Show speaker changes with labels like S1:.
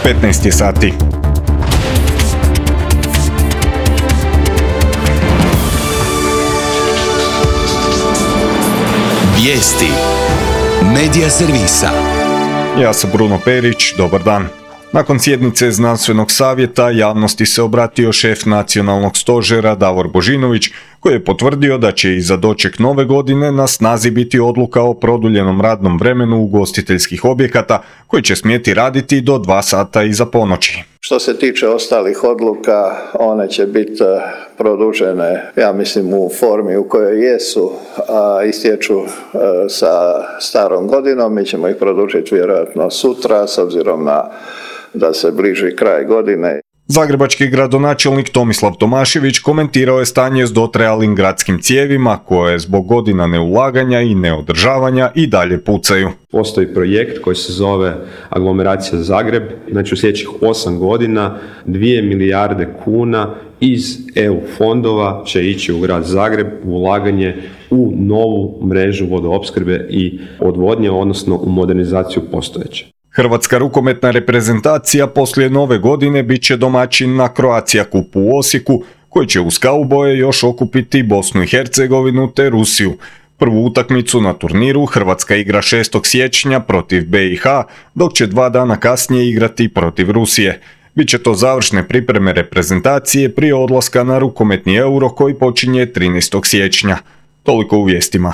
S1: 15 je sati.
S2: Vijesti Medija servisa.
S1: Ja sam Bruno Perić, dobar dan. Nakon sjednice znanstvenog savjeta javnosti se obratio šef nacionalnog stožera Davor Božinović, koji je potvrdio da će i za doček nove godine na snazi biti odluka o produljenom radnom vremenu ugostiteljskih objekata koji će smjeti raditi do 2 sata iza ponoći.
S3: Što se tiče ostalih odluka, one će biti produžene, ja mislim, u formi u kojoj jesu, a istječu sa starom godinom. Mi ćemo ih produžiti vjerojatno sutra, s obzirom da se bliži kraj godine.
S1: Zagrebački gradonačelnik Tomislav Tomašević komentirao je stanje s dotrajalim gradskim cijevima koje zbog godina neulaganja i neodržavanja i dalje pucaju.
S4: Postoji projekt koji se zove Aglomeracija Zagreb, znači u sljedećih 8 godina 2 milijarde kuna iz EU fondova će ići u grad Zagreb u ulaganje u novu mrežu vodoopskrbe i odvodnje, odnosno u modernizaciju postojeće.
S1: Hrvatska rukometna reprezentacija poslije nove godine bit će domaćin na Croatia Cupu u Osijeku, koji će uz kauboje još okupiti Bosnu i Hercegovinu te Rusiju. Prvu utakmicu na turniru Hrvatska igra 6. siječnja protiv BiH, dok će 2 dana kasnije igrati protiv Rusije. Biće to završne pripreme reprezentacije prije odlaska na rukometni Euro koji počinje 13. siječnja. Toliko u vijestima.